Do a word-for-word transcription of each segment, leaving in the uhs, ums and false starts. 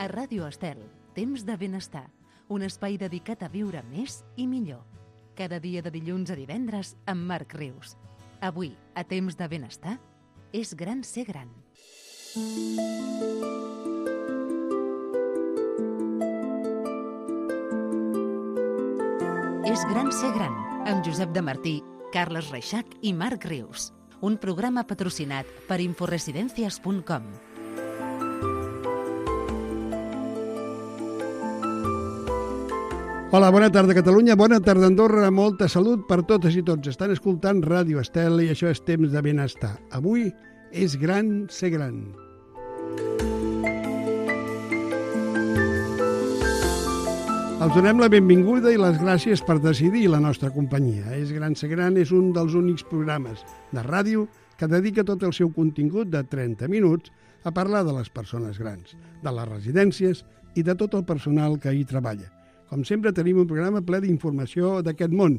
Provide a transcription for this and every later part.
A Ràdio Estel, temps de benestar, un espai dedicat a viure més i millor. Cada dia de dilluns a divendres amb Marc Rius. Avui, a temps de benestar, és gran ser gran. És gran ser gran, amb Josep de Martí, Carles Reixac i Marc Rius. Un programa patrocinat per inforesidencias punt com. Hola, bona tarda Catalunya, bona tarda Andorra, molta salut per totes i tots. Estan escoltant Ràdio Estel i això és temps de benestar. Avui és gran ser gran. Els donem la benvinguda i les gràcies per decidir la nostra companyia. És gran ser gran és un dels únics programes de ràdio que dedica tot el seu contingut de trenta minuts a parlar de les persones grans, de les residències i de tot el personal que hi treballa. Com sempre, tenim un programa ple d'informació d'aquest món.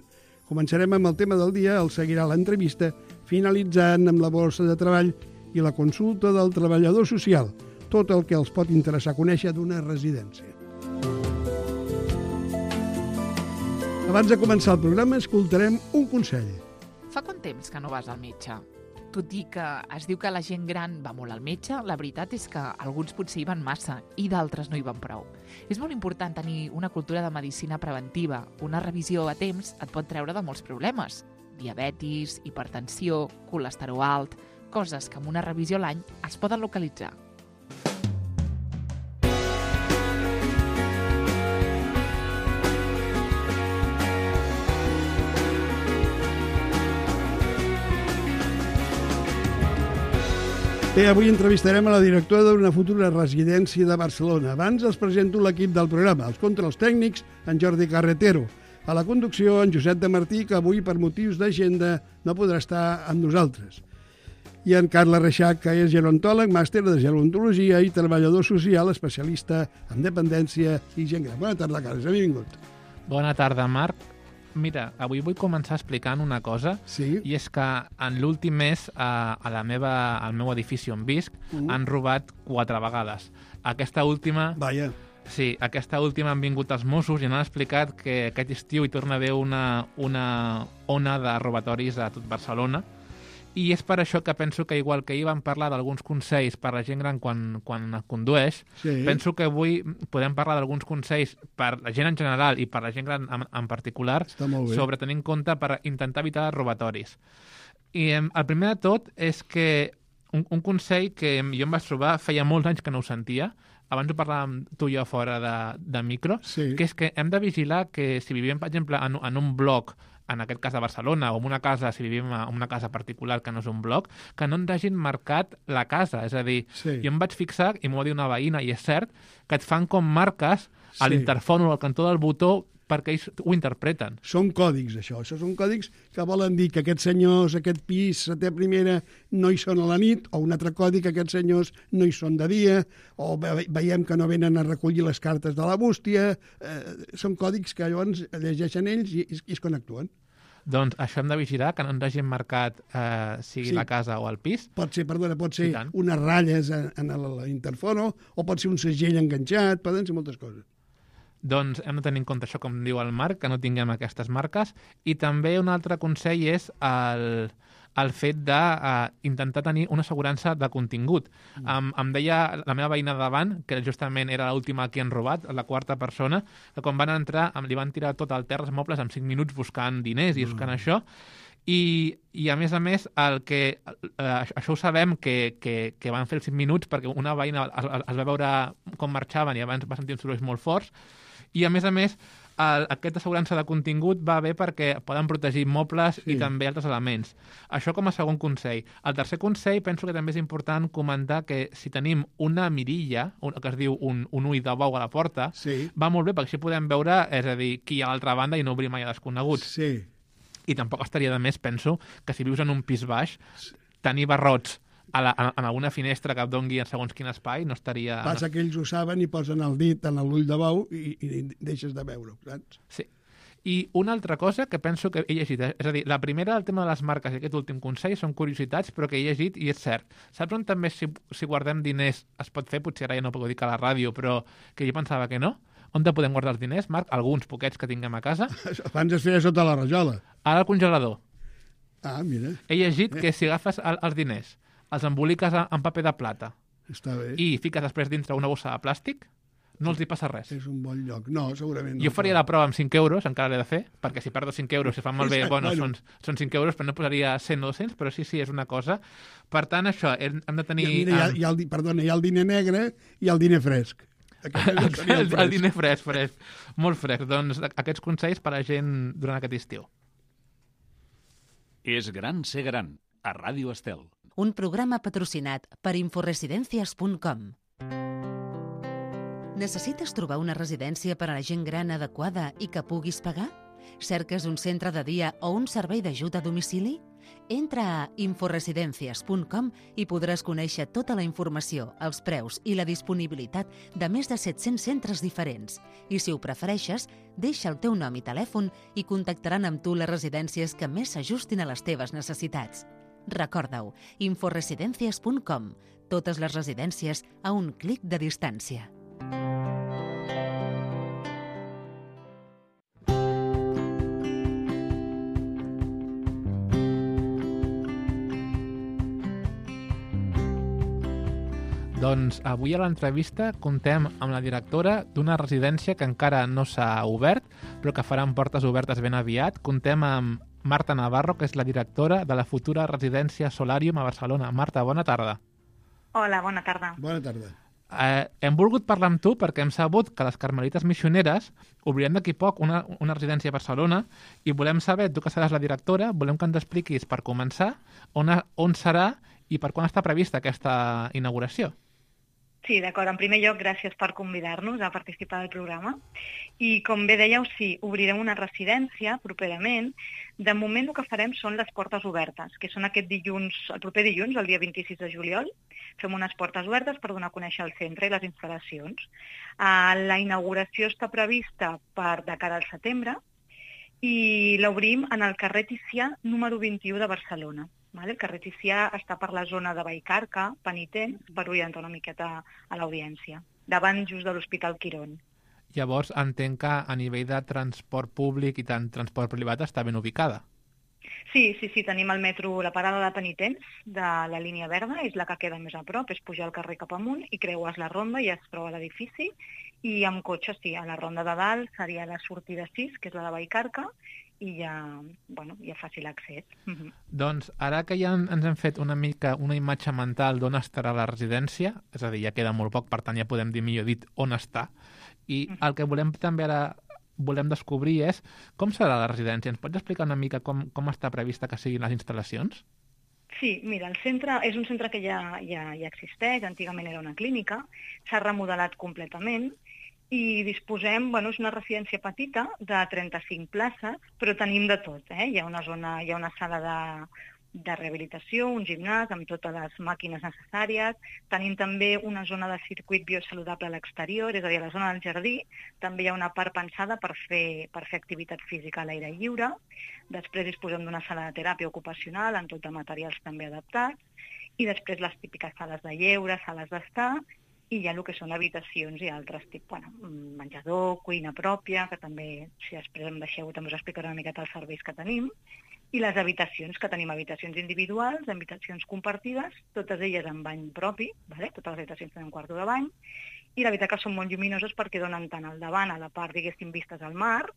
Començarem amb el tema del dia, el seguirà l'entrevista, finalitzant amb la borsa de treball i la consulta del treballador social, tot el que els pot interessar conèixer d'una residència. Abans de començar el programa, escoltarem un consell. Fa quant temps que no vas al metge? Tot i que es diu que la gent gran va molt al metge, la veritat és que alguns potser hi van massa i d'altres no hi van prou. És molt important tenir una cultura de medicina preventiva. Una revisió a temps et pot treure de molts problemes. Diabetis, hipertensió, colesterol alt, coses que amb una revisió a l'any es poden localitzar. Bé, avui entrevistarem a la directora d'una futura residència de Barcelona. Abans els presento l'equip del programa, els controls tècnics, en Jordi Carretero. A la conducció, en Josep de Martí, que avui, per motius d'agenda, no podrà estar amb nosaltres. I en Carles Reixac, que és gerontòleg, màster de gerontologia i treballador social, especialista en dependència i gent gran. Bona tarda, Carles, benvingut. Bona tarda, Marc. Mira, avui vull començar explicant una cosa, sí? I és que en l'últim mes a, a la meva, al meu edifici on visc uh. han robat quatre vegades. Aquesta última... Vaja. Sí, aquesta última han vingut els Mossos i han explicat que aquest estiu hi torna a haver una, una ona de robatoris a tot Barcelona. I és per això que penso que, igual que ahir vam parlar d'alguns consells per a la gent gran quan, quan condueix, sí. Penso que avui podem parlar d'alguns consells per la gent en general i per la gent gran en, en particular sobre tenir en compte per intentar evitar robatoris. I eh, el primer de tot és que un, un consell que jo em vaig trobar feia molts anys que no ho sentia, abans ho parlàvem tu i jo fora de, de micro, sí. Que és que hem de vigilar que si vivim, per exemple, en, en un bloc, en aquest cas a Barcelona, o en una casa, si vivim en una casa particular que no és un bloc, que no ens hagin marcat la casa. És a dir, sí. Jo em vaig fixar, i m'ho va dir una veïna, i és cert, que et fan com marques a sí. L'interfon o al cantó del botó perquè ells ho interpreten. Són còdics, això. Això són còdics que volen dir que aquests senyors, aquest pis, setè primera, no hi són a la nit, o un altre còdic que aquests senyors no hi són de dia, o veiem que no venen a recollir les cartes de la bústia. Eh, són còdics que llavors llegeixen ells i, i és quan actuen. Doncs això hem de vigilar, que no ens hagin marcat eh, sigui sí. La casa o el pis. Pot ser, perdona, pot ser unes ratlles en, en l'interfono, o pot ser un segell enganxat, poden ser moltes coses. Doncs hem de tenir en compte això, com diu el Marc, que no tinguem aquestes marques. I també un altre consell és el, el fet d'intentar uh, tenir una assegurança de contingut. Mm. Em, em deia la meva veïna davant, que justament era l'última que han robat, la quarta persona, que quan van entrar li van tirar tot al terra els mobles en cinc minuts buscant diners i buscant mm. això. I, I, a més a més, el que, eh, això ho sabem que, que, que van fer els cinc minuts perquè una veïna es, es va veure com marxaven i abans va sentir uns sorolls molt forts. I, a més a més, el, aquesta assegurança de contingut va bé perquè poden protegir mobles sí. I també altres elements. Això com a segon consell. El tercer consell penso que també és important comentar que si tenim una mirilla, un, que es diu un, un ull de bou a la porta, sí. Va molt bé perquè així podem veure, és a dir, qui hi ha a l'altra banda i no obrir mai a desconeguts. Sí. I tampoc estaria de més, penso, que si vius en un pis baix, tenir barrots a la, en alguna finestra que et dongui en segons quin espai no estaria... Passa que ells ho saben i posen el dit en l'ull de bou i, i deixes de veure-ho, saps? Sí. I una altra cosa que penso que he llegit, és a dir, la primera, el tema de les marques i aquest últim consell són curiositats, però que he llegit i és cert. Saps on també si, si guardem diners es pot fer? Potser ara ja no puc dir que a la ràdio, però que jo pensava que no. On te podem guardar els diners, Marc? Alguns poquets que tinguem a casa. Abans es feia sota la rajola. Ara al congelador. Ah, mira. He llegit que si agafes el, els diners, els emboliques en paper de plata Està bé. i fiques després dintre una bossa de plàstic, no els hi passa res. És un bon lloc. No, segurament no. Jo faria la prova amb cinc euros, encara l'he de fer, perquè si perdo cinc euros, si fan malbé, bueno, bueno. són, són cinc euros, però no posaria cent o dos-cents, però sí, sí, és una cosa. Per tant, això, hem hem de tenir... Hi ha, mira, hi ha, hi ha el, di- perdona, hi ha el diner negre i el diner fresc. Aquest el, seria el, el diner fresc, fresc, molt fresc. Doncs aquests consells per a la gent durant aquest estiu. És gran ser gran, a Ràdio Estel. Un programa patrocinat per inforesidencias punt com. Necessites trobar una residència per a la gent gran adequada i que puguis pagar? Cerques un centre de dia o un servei d'ajut a domicili? Entra a inforesidencias punt com i podràs conèixer tota la informació, els preus i la disponibilitat de més de set-cents centres diferents. I si ho prefereixes, deixa el teu nom i telèfon i contactaran amb tu les residències que més s'ajustin a les teves necessitats. Recorda-ho, inforesidencias punt com. Totes les residències a un clic de distància. Doncs avui a l'entrevista contem amb la directora d'una residència que encara no s'ha obert, però que faran portes obertes ben aviat. Contem amb Marta Navarro, que és la directora de la futura residència Solarium a Barcelona. Marta, bona tarda. Hola, bona tarda. Bona tarda. Eh, hem volgut parlar amb tu perquè hem sabut que les Carmelites Missioneres obriran d'aquí poc una, una residència a Barcelona i volem saber, tu que seràs la directora, volem que ens expliquis per començar on, on serà i per quan està prevista aquesta inauguració. Sí, d'acord. En primer lloc, gràcies per convidar-nos a participar del programa. I com bé dèieu, sí, obrirem una residència properament. De moment el que farem són les portes obertes, que són aquest dilluns, el proper dilluns, el dia vint-i-sis de juliol. Fem unes portes obertes per donar a conèixer el centre i les instal·lacions. Uh, la inauguració està prevista per de cara al setembre i l'obrim en el carrer Ticià número vint-i-u de Barcelona. Vale? El carrer Ticià està per la zona de Vallcarca, Penitents, per orientar una miqueta a l'audiència, davant just de l'Hospital Quirón. Llavors, entenc que a nivell de transport públic i tant transport privat està ben ubicada. Sí, sí, sí, tenim el metro, la parada de Penitents, de la línia verda, és la que queda més a prop, és pujar el carrer cap amunt i creues la ronda i es troba l'edifici, i amb cotxe, sí, a la ronda de dalt seria la sortida sis, que és la de Vallcarca, i ja, bueno, ja fàcil accés. Uh-huh. Doncs ara que ja ens hem fet una mica una imatge mental d'on estarà la residència, és a dir, ja queda molt poc, per tant ja podem dir millor dit on està, i uh-huh. el que volem també ara volem descobrir és com serà la residència. Ens pots explicar una mica com, com està prevista que siguin les instal·lacions? Sí, mira, el centre és un centre que ja, ja, ja existeix, antigament era una clínica, s'ha remodelat completament, i disposem, bueno, és una residència petita de trenta-cinc places, però tenim de tot, eh? Hi ha una zona, hi ha una sala de, de rehabilitació, un gimnàs amb totes les màquines necessàries, tenim també una zona de circuit biosaludable a l'exterior, és a dir, a la zona del jardí, també hi ha una part pensada per fer, per fer activitat física a l'aire lliure, després disposem d'una sala de teràpia ocupacional amb tot de materials també adaptats, i després les típiques sales de lleure, sales d'estar, i hi ha el que són habitacions i altres tipus, bueno, menjador, cuina pròpia, que també, si després em deixeu, també us explicaré una miqueta els serveis que tenim, i les habitacions, que tenim habitacions individuals, habitacions compartides, totes elles amb bany propi, vale? Totes les habitacions tenen quarto de bany, i la veritat que són molt lluminoses perquè donen tant al davant, a la part, diguéssim, vistes al mar,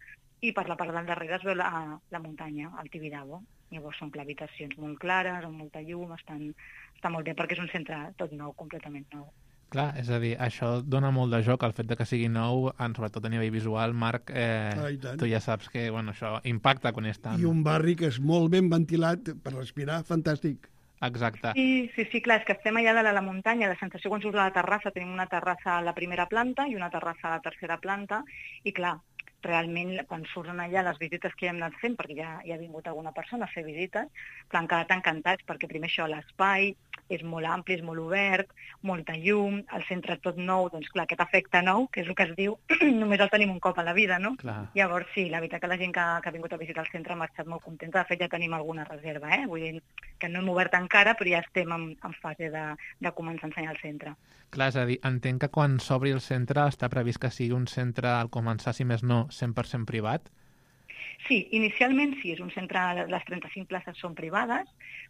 i per la part del darrere es veu la, la muntanya, el Tibidabo. Llavors són clar, habitacions molt clares, amb molta llum, estan, està molt bé perquè és un centre tot nou, completament nou. Clar, és a dir, això dona molt de joc, el fet de que sigui nou, en, sobretot a nivell visual, Marc, eh, ah, tu ja saps que bueno, això impacta quan és tant. I un barri que és molt ben ventilat per respirar, fantàstic. Exacte. Sí, sí, sí, clar, és que estem allà de la muntanya, la sensació quan surts a la terrassa, tenim una terrassa a la primera planta i una terrassa a la tercera planta, i clar, realment quan surten allà les visites que ja hem anat fent, perquè ja, ja ha vingut alguna persona a fer visites, clar, han quedat encantats, perquè primer això, l'espai, és molt ampli, és molt obert, molta llum, el centre tot nou, doncs clar, aquest efecte nou, que és el que es diu, només el tenim un cop a la vida, no? Clar. Llavors sí, la veritat que la gent que, que ha vingut a visitar el centre ha marxat molt contenta, de fet ja tenim alguna reserva, eh? Vull dir que no hem obert encara, però ja estem en, en fase de, de començar a ensenyar el centre. Clar, és a dir, entenc que quan s'obri el centre està previst que sigui un centre, al començar, si més no, cent per cent privat? Sí, inicialment sí, és un centre, les trenta-cinc places són privades,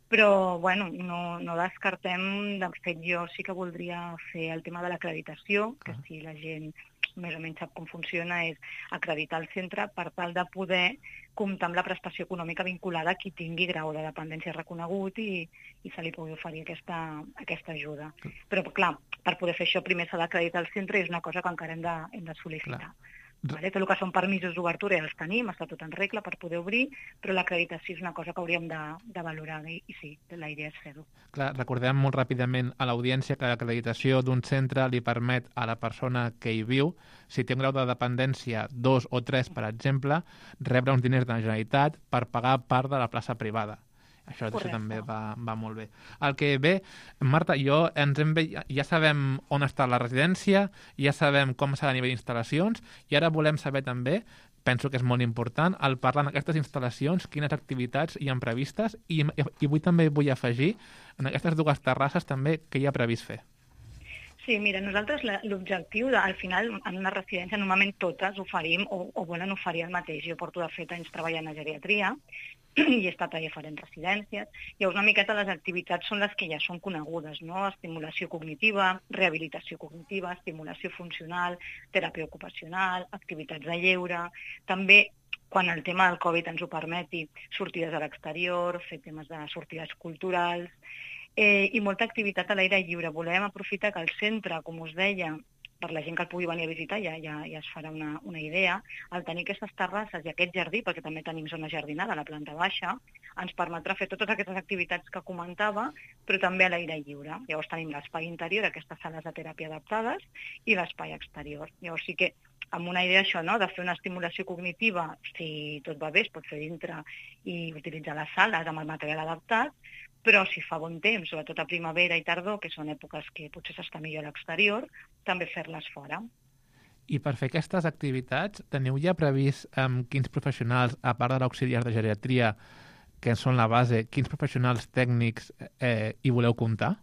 però bueno, no, no descartem, de fet jo sí que voldria fer el tema de l'acreditació, que si la gent més o menys sap com funciona, és acreditar el centre per tal de poder comptar amb la prestació econòmica vinculada a qui tingui grau de dependència reconegut i, i se li pugui oferir aquesta, aquesta ajuda. Però clar, per poder fer això primer s'ha d'acreditar el centre i és una cosa que encara hem de, hem de sol·licitar. Clar. Vale? Tot el que són permisos d'obertura ja els tenim, està tot en regla per poder obrir, però l'acreditació és una cosa que hauríem de, de valorar i, i sí, la idea és fer-ho. Clar, recordem molt ràpidament a l'audiència que l'acreditació d'un centre li permet a la persona que hi viu, si té un grau de dependència dos o tres, per exemple, rebre uns diners de la Generalitat per pagar part de la plaça privada. Això, això també va, va molt bé. El que ve, Marta, jo ens hem ve, ja sabem on està la residència, ja sabem com serà a nivell d'instal·lacions, i ara volem saber també, penso que és molt important, al parlar en aquestes instal·lacions, quines activitats hi ha previstes, i, i avui també vull afegir, en aquestes dues terrasses també, què hi ha previst fer. Sí, mira, nosaltres l'objectiu, al final, en una residència, normalment totes oferim o, o volen oferir el mateix. Jo porto, de fet, anys treballant a geriatria i he estat a diferents residències. Llavors, una miqueta les activitats són les que ja són conegudes, no? Estimulació cognitiva, rehabilitació cognitiva, estimulació funcional, teràpia ocupacional, activitats de lleure, també quan el tema del Covid ens ho permeti, sortides a l'exterior, fer temes de sortides culturals, Eh, i molta activitat a l'aire lliure. Volem aprofitar que el centre, com us deia, per la gent que el pugui venir a visitar, ja, ja, ja es farà una, una idea, al tenir aquestes terrasses i aquest jardí, perquè també tenim zona jardinada a la planta baixa, ens permetrà fer totes aquestes activitats que comentava, però també a l'aire lliure. Llavors tenim l'espai interior, aquestes sales de teràpia adaptades, i l'espai exterior. Llavors sí que amb una idea això, no?, de fer una estimulació cognitiva, si tot va bé, es pot fer dintre i utilitzar les sales amb el material adaptat, però si fa bon temps, sobretot a primavera i tardor, que són èpoques que potser s'està millor a l'exterior, també fer-les fora. I per fer aquestes activitats, teniu ja previst amb quins professionals, a part de l'auxiliar de geriatria, que són la base, quins professionals tècnics eh, hi voleu comptar?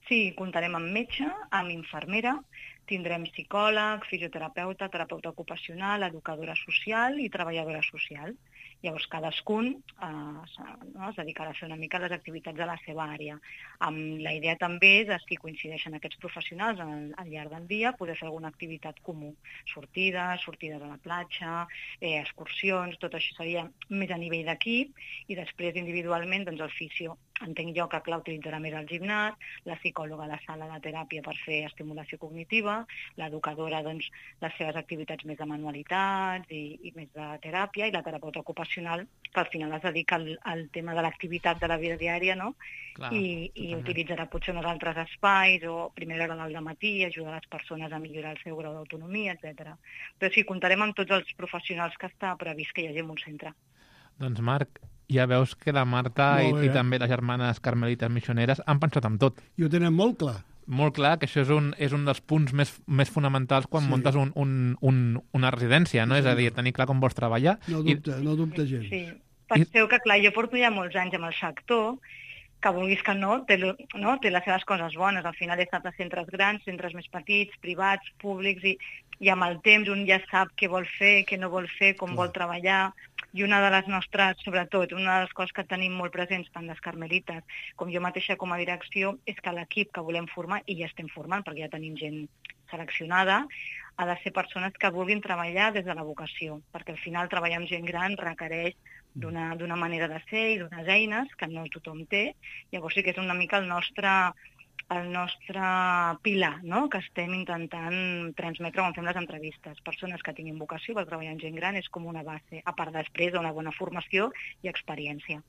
Sí, comptarem amb metge, amb infermera, tindrem psicòleg, fisioterapeuta, terapeuta ocupacional, educadora social i treballadora social. Llavors, cadascun eh, no, es dedicarà a fer una mica les activitats de la seva àrea. Amb la idea també és, si coincideixen aquests professionals al, al llarg del dia, poder fer alguna activitat comú. Sortides, sortides a la platja, eh, excursions, tot això seria més a nivell d'equip, i després individualment doncs, el fisio. Entenc jo que clar utilitzarà més el gimnàs, la psicòloga a la sala de teràpia per fer estimulació cognitiva, l'educadora doncs, les seves activitats més de manualitats i, i més de teràpia, i la terapeuta ocupacional, que al final es dedica al, al tema de l'activitat de la vida diària, no? Clar, I, i utilitzarà potser uns altres espais, o a primera hora del matí, ajudar les persones a millorar el seu grau d'autonomia, etcètera. Però sí, comptarem amb tots els professionals que està previst que hi hagi en un centre. Doncs Marc, ja veus que la Marta i, Molt bé, i també les germanes carmelites missioneres han pensat en tot. I ho tenen molt clar. Molt clar, que això és un, és un dels punts més, més fonamentals quan Sí. muntes un, un, un, una residència, no? Sí, És a dir, senyor. tenir clar com vols treballar. No dubta, no dubta gens. Sí, penseu que clar, jo porto ja molts anys amb el sector, que vulguis que no, té, no, té les seves coses bones. Al final he estat a centres grans, centres més petits, privats, públics, i, i amb el temps un ja sap què vol fer, què no vol fer, com Clar. vol treballar. I una de les nostres, sobretot, una de les coses que tenim molt presents, tant les carmelites com jo mateixa com a direcció, és que l'equip que volem formar, i ja estem formant perquè ja tenim gent seleccionada, ha de ser persones que vulguin treballar des de la vocació, perquè al final treballar amb gent gran requereix d'una d'una manera de ser i d'unes eines que no tothom té. Llavors sí que és una mica el nostre, el nostre pilar, no?, que estem intentant transmetre quan fem les entrevistes. Persones que tinguin vocació per treballar amb gent gran és com una base, a part després d'una bona formació i experiència.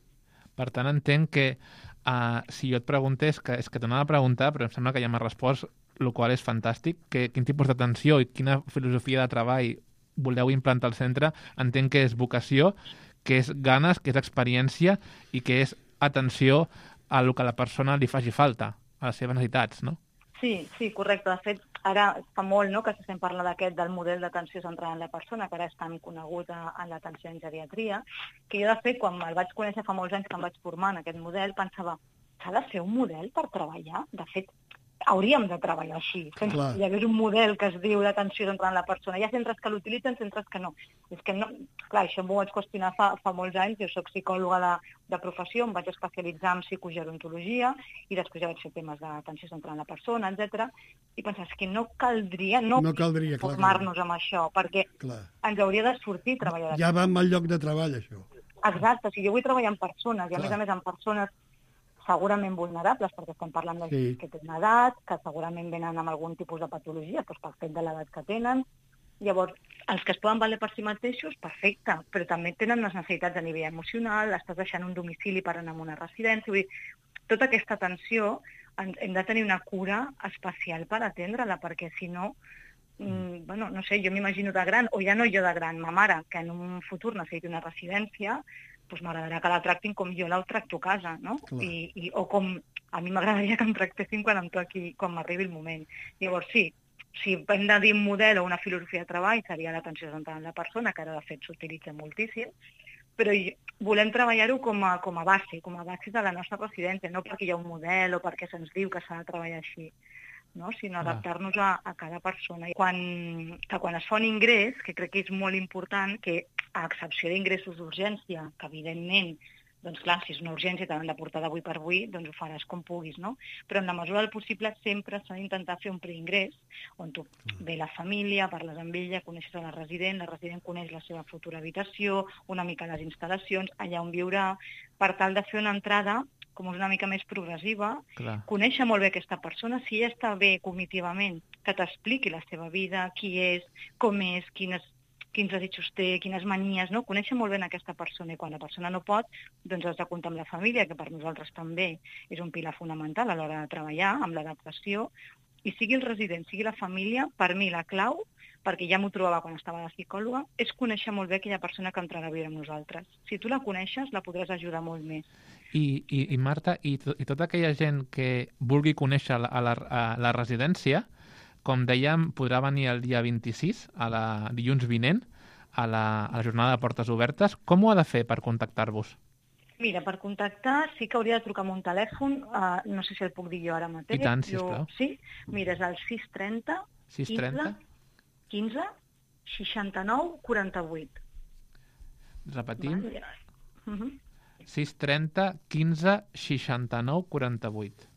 Per tant, entenc que uh, si jo et preguntés, que és que t'anava a preguntar, però em sembla que ja m'has respost, el qual és fantàstic, que quin tipus d'atenció i quina filosofia de treball voleu implantar al centre, entenc que és vocació, que és ganes, que és experiència i que és atenció a el que la persona li faci falta, a les seves necessitats, no? Sí, sí, correcte. De fet, ara fa molt, no?, que s'estem parlant d'aquest del model d'atenció centrada en la persona, que ara és tan conegut a, en l'atenció en geriatria, que jo, de fet, quan el vaig conèixer fa molts anys que em vaig formar en aquest model, pensava, s'ha de fer un model per treballar? De fet, hauríem de treballar així. Clar. Hi hagués un model que es diu d'atenció centrada en la persona. Hi ha centres que l'utilitzen, centres que no. És que no... Clar, això m'ho vaig qüestionar fa, fa molts anys. Jo soc psicòloga de, de professió, em vaig especialitzar en psicogerontologia i després ja vaig fer temes d'atenció centrada en la persona, etcètera. I pensar, és que no caldria no, No caldria, clar, formar-nos amb això, perquè Clar. ens hauria de sortir treballar. Ja va amb el lloc de treball, això. Exacte, o sigui, jo vull treballar amb persones, i a Clar. més a més amb persones segurament vulnerables, perquè estem parlant de Sí. que tenen edat, que segurament venen amb algun tipus de patologia, doncs pel fet de l'edat que tenen. Llavors, els que es poden valer per si mateixos, perfecte, però també tenen les necessitats a nivell emocional, estàs deixant un domicili per anar a una residència, vull dir, tota aquesta atenció en- hem de tenir una cura especial per atendre-la, perquè si no, mm, bueno, no sé, jo m'imagino de gran, o ja no jo de gran, ma mare, que en un futur necessiti una residència, doncs m'agradarà que la tractin com jo la tracto a casa, no? Clar. I, i, o com a mi m'agradaria que em tractessin quan em toqui, quan m'arribi el moment. Llavors, sí, si hem de dir un model o una filosofia de treball, seria l'atenció centrada en la persona, que ara de fet s'utilitza moltíssim, però hi- volem treballar-ho com a, com a base, com a base de la nostra residència, no perquè hi ha un model o perquè se'ns diu que s'ha de treballar així, no? Sinó Ah. adaptar-nos a, a cada persona. I quan, que quan es fa un ingrés, que crec que és molt important, que a excepció d'ingressos d'urgència, que evidentment, doncs clar, si és una urgència t'han de portar d'avui per avui, doncs ho faràs com puguis, no? Però en la mesura del possible sempre s'ha d'intentar fer un preingrés, on tu ve la família, parles amb ella, coneixes a la resident, la resident coneix la seva futura habitació, una mica les instal·lacions, allà on viurà, per tal de fer una entrada com és una mica més progressiva, Clar. conèixer molt bé aquesta persona, si ella està bé cognitivament, que t'expliqui la seva vida, qui és, com és, quines, quins desitjos té, quines manies, no? Conèixer molt bé aquesta persona, i quan la persona no pot, doncs has de comptar amb la família, que per nosaltres també és un pilar fonamental a l'hora de treballar, amb l'adaptació, i sigui el resident, sigui la família, per mi la clau, perquè ja m'ho trobava quan estava de psicòloga, és conèixer molt bé aquella persona que entrarà a viure amb nosaltres. Si tu la coneixes, la podràs ajudar molt més. I, i, i Marta, i, to, i tota aquella gent que vulgui conèixer la, a la, a la residència, com dèiem, podrà venir el dia vint-i-sis, a la dilluns vinent, a la, a la jornada de portes obertes. Com ho ha de fer per contactar-vos? Mira, per contactar sí que hauria de trucar amb un telèfon, uh, no sé si el puc dir jo ara mateix. I tant, Jo- sisplau. Sí? Mira, és el sis trenta sis trenta? quinze seixanta-nou quaranta-vuit. Repetim. Vale? Uh -huh. sis trenta quinze seixanta-nou quaranta-vuit.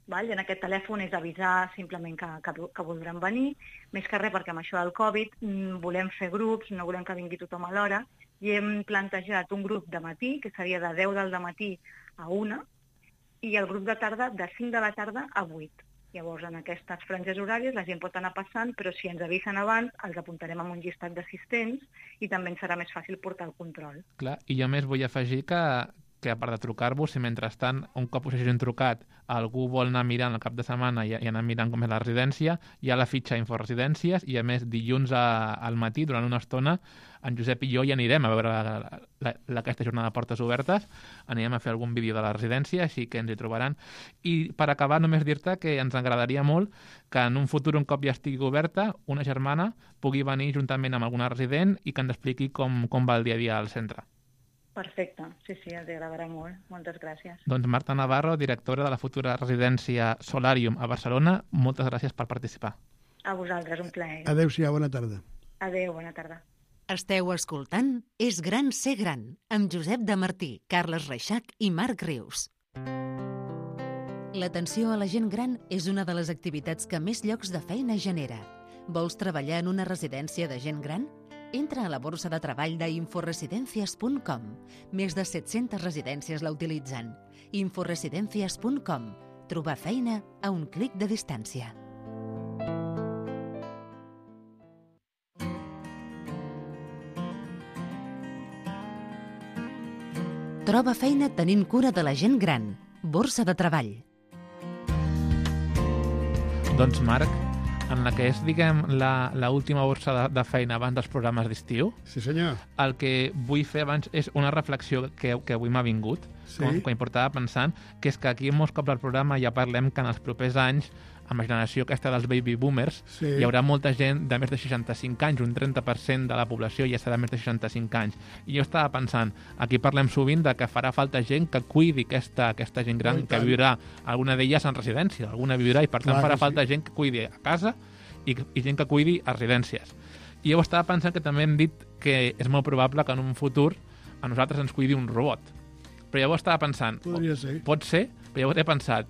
Val? I en aquest telèfon és avisar simplement que, que, que voldran venir, més que res perquè amb això del Covid mm, volem fer grups, no volem que vingui tothom a l'hora, i hem plantejat un grup de matí, que seria de deu del matí a una, i el grup de tarda de cinc de la tarda a vuit. Llavors, en aquestes franges horàries la gent pot anar passant, però si ens avisen abans, els apuntarem amb un llistat d'assistents i també ens serà més fàcil portar el control. Clar, i jo més vull afegir que, que a part de trucar-vos, si mentrestant, un cop us hagin trucat, algú vol anar mirant el cap de setmana i, i anar mirant com és la residència, hi ha la fitxa Inforesidències i, a més, dilluns a, al matí, durant una estona, en Josep i jo hi anirem a veure la, la, la, aquesta jornada de portes obertes, anirem a fer algun vídeo de la residència, així que ens hi trobaran. I per acabar, només dir-te que ens agradaria molt que en un futur, un cop ja estigui oberta, una germana pugui venir juntament amb alguna resident i que ens expliqui com, com va el dia a dia al centre. Perfecte, sí, sí, ens agradarà molt. Moltes gràcies. Doncs Marta Navarro, directora de la futura residència Solarium a Barcelona, moltes gràcies per participar. A vosaltres, un plaer. Adéu-siau, bona tarda. Adéu, bona tarda. Esteu escoltant És gran ser gran, amb Josep de Martí, Carles Reixac i Marc Rius. L'atenció a la gent gran és una de les activitats que més llocs de feina genera. Vols treballar en una residència de gent gran? Entra a la borsa de treball d'inforesidencias punt com. Més de set-centes residències la utilitzen. inforesidencias punt com. Trobar feina a un clic de distància. Troba feina tenint cura de la gent gran. Borsa de treball. Doncs Marc, en la que és, diguem, la, la última borsa de, de feina abans dels programes d'estiu, Sí, senyor. el que vull fer abans és una reflexió que, que avui m'ha vingut, Sí. quan, quan hi portava pensant, que és que aquí molts cops al programa ja parlem que en els propers anys, amb la generació aquesta dels baby boomers, Sí. hi haurà molta gent de més de seixanta-cinc anys, un trenta per cent de la població ja serà més de seixanta-cinc anys. I jo estava pensant, aquí parlem sovint de que farà falta gent que cuidi aquesta, aquesta gent gran, Oh, i que tant. viurà, alguna d'elles en residència, alguna viurà, i per tant Clar farà que sí. falta gent que cuidi a casa i, i gent que cuidi a residències. I jo estava pensant que també hem dit que és molt probable que en un futur a nosaltres ens cuidi un robot. Però llavors estava pensant, Podria ser. pot ser, però llavors he pensat,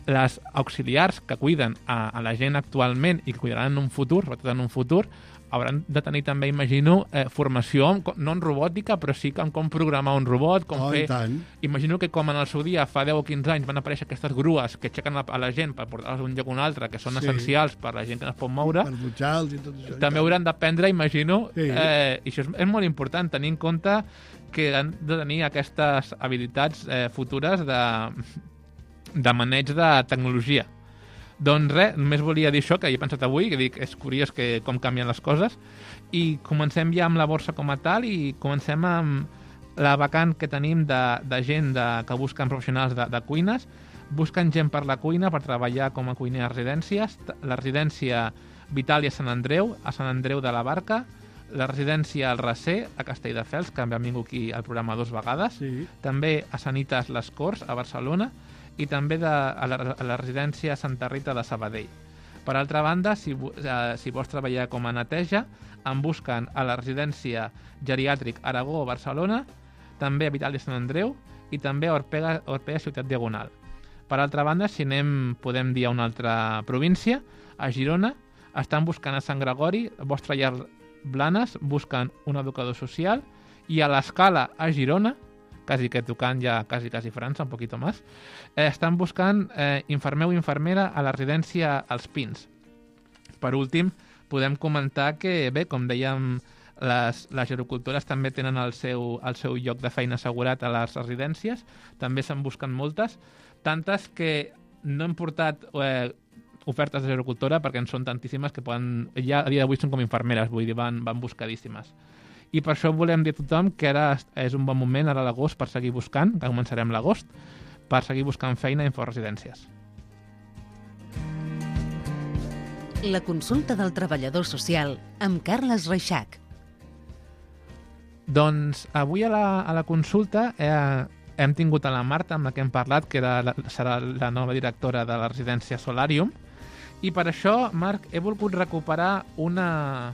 les auxiliars que cuiden a, a la gent actualment i que cuidaran en un futur, sobretot en un futur, hauran de tenir també, imagino, eh, formació, en, co- no en robòtica, però sí que en com programar un robot, com Oh, fer... i tant. Imagino que com en el seu dia, fa deu o quinze anys, van aparèixer aquestes grues que aixequen a, a la gent per portar-los d'un lloc a un altre, que són Sí. essencials per a la gent que no es pot moure, Per dutxar-los i tot això. i també tant. hauran d'aprendre, imagino, Sí. eh, i això és, és molt important, tenir en compte que han de tenir aquestes habilitats eh, futures de, de maneig de tecnologia. Doncs res, només volia dir això, que he pensat avui, que dic, és curiós que com canvien les coses, i comencem ja amb la borsa com a tal, i comencem amb la vacant que tenim de, de gent de, que busquen professionals de, de cuines, busquen gent per la cuina, per treballar com a cuiner a residències, la residència Vitàlia a Sant Andreu, a Sant Andreu de la Barca, la residència al Racer, a Castelldefels, que han vingut aquí al programa dues vegades, Sí. també a Sanitas Les Corts, a Barcelona, i també de, a, la, a la residència Santa Rita de Sabadell. Per altra banda, si, vo- eh, si vols treballar com a neteja, en busquen a la residència geriàtric Aragó, Barcelona, també a Vitàlia Sant Andreu i també a Orpega, Orpega Ciutat Diagonal. Per altra banda, si anem, podem dir a una altra província, a Girona, estan buscant a Sant Gregori, vostra llar Blanes, busquen un educador social, i a l'Escala, a Girona, quasi que tocant ja quasi, quasi França, un poquito más, eh, estan buscant eh, infermer o infermera a la residència als Pins. Per últim, podem comentar que, bé, com dèiem, les, les gerocultores també tenen el seu, el seu lloc de feina assegurat a les residències, també se'n busquen moltes, tantes que no hem portat eh, ofertes de gerocultora perquè en són tantíssimes que poden, ja a dia d'avui són com infermeres, vull dir, van, van buscadíssimes. I per això volem dir a tothom que ara és un bon moment, ara a l'agost, per seguir buscant, que començarem l'agost, per seguir buscant feina a Inforesidències. La consulta del treballador social amb Carles Reixac. Doncs avui a la, a la consulta eh, hem tingut a la Marta, amb la que hem parlat, que era la, serà la nova directora de la residència Solarium, i per això, Marc, he volgut recuperar una,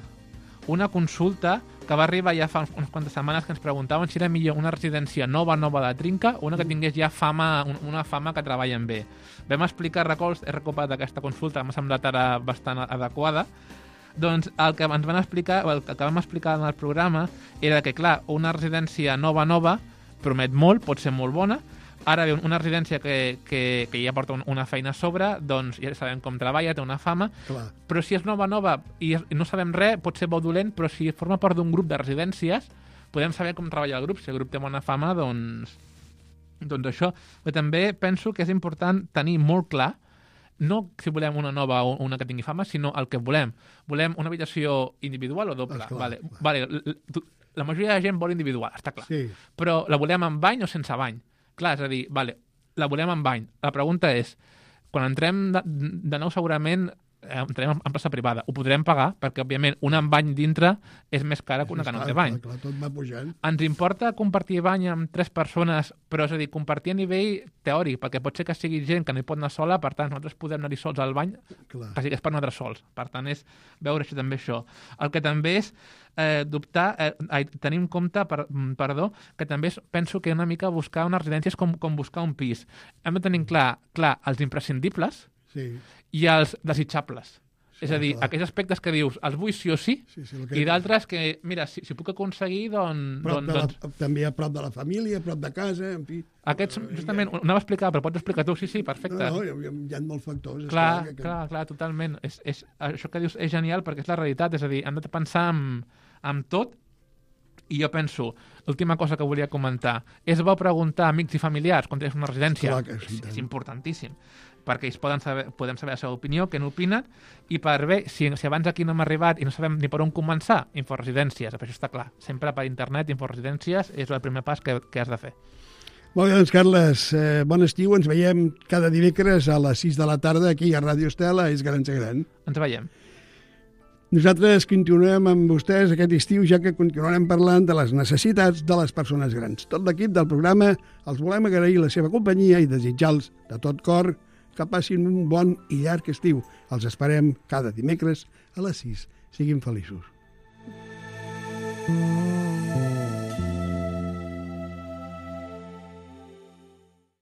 una consulta que va arribar ja fa unes quantes setmanes, que ens preguntaven si era millor una residència nova, nova de trinca, o una que tingués ja fama, una fama que treballen bé. Vam explicar, records, he recuperat aquesta consulta, m'ha semblat ara bastant adequada. Doncs el que ens van explicar, el que vam explicar en el programa era que, clar, una residència nova, nova, promet molt, pot ser molt bona. Ara bé, una residència que, que, que ja porta una feina a sobre, doncs ja sabem com treballa, té una fama, Clar. però si és nova, nova i no sabem res, pot ser bo o dolent, però si forma part d'un grup de residències, podem saber com treballa el grup. Si el grup té bona fama, doncs, doncs això. Però també penso que és important tenir molt clar, no si volem una nova o una que tingui fama, sinó el que volem. Volem una habitació individual o doble? Esclar, vale, clar. vale, l- l- la majoria de gent vol individual, està clar. Sí. Però la volem amb bany o sense bany? Clar, és a dir, vale, la volem amb bany. La pregunta és, quan entrem de, de nou segurament eh, entrem en plaça privada. Ho podrem pagar perquè, òbviament, una amb bany dintre és més cara que una que no té bany. Clar, clar, tot va pujant. Ens importa compartir bany amb tres persones, però és a dir, compartir a nivell teòric, perquè pot ser que sigui gent que no hi pot anar sola, per tant, nosaltres podem anar-hi sols al bany, Clar. quasi que és per nosaltres sols. Per tant, és veure això, també això. El que també és eh, dubtar, eh, ai, tenir en compte, per, mm, perdó, que també és, penso que una mica buscar unes residències com, com buscar un pis. Hem de tenir clar, clar els imprescindibles Sí. i els desitjables. Sí, És a dir, clar. aquells aspectes que dius, els vull sí o sí, Sí, sí, el que- i d'altres que, mira, si, si puc aconseguir, doncs... Prop doncs, de la, doncs també a prop de la família, a prop de casa, en fi. aquests, justament, ho anava a explicar, però pots explicar tu, sí, sí, perfecte. No, no, hi, ha, hi ha molts factors. clar, que, que... clar, clar, totalment. És, és, això que dius és genial perquè és la realitat, és a dir, hem de pensar en, en tot I jo penso, l'última cosa que volia comentar, és bo preguntar a amics i familiars quan tens una residència? Clar que sí, és, tant. és importantíssim, perquè ells poden saber, podem saber la seva opinió, què n'opinen, i per bé, si, si abans aquí no hem arribat i no sabem ni per on començar, Inforesidències, per això està clar. Sempre per internet, Inforesidències, és el primer pas que, que has de fer. Molt bé, doncs, Carles, eh, bon estiu. Ens veiem cada dimecres a les sis de la tarda aquí a Ràdio Estel, a És Gran Ser Gran. Ens veiem. Nosaltres continuem amb vostès aquest estiu, ja que continuarem parlant de les necessitats de les persones grans. Tot l'equip del programa els volem agrair la seva companyia i desitjar-los de tot cor que passin un bon i llarg estiu. Els esperem cada dimecres a les sis. Siguin feliços.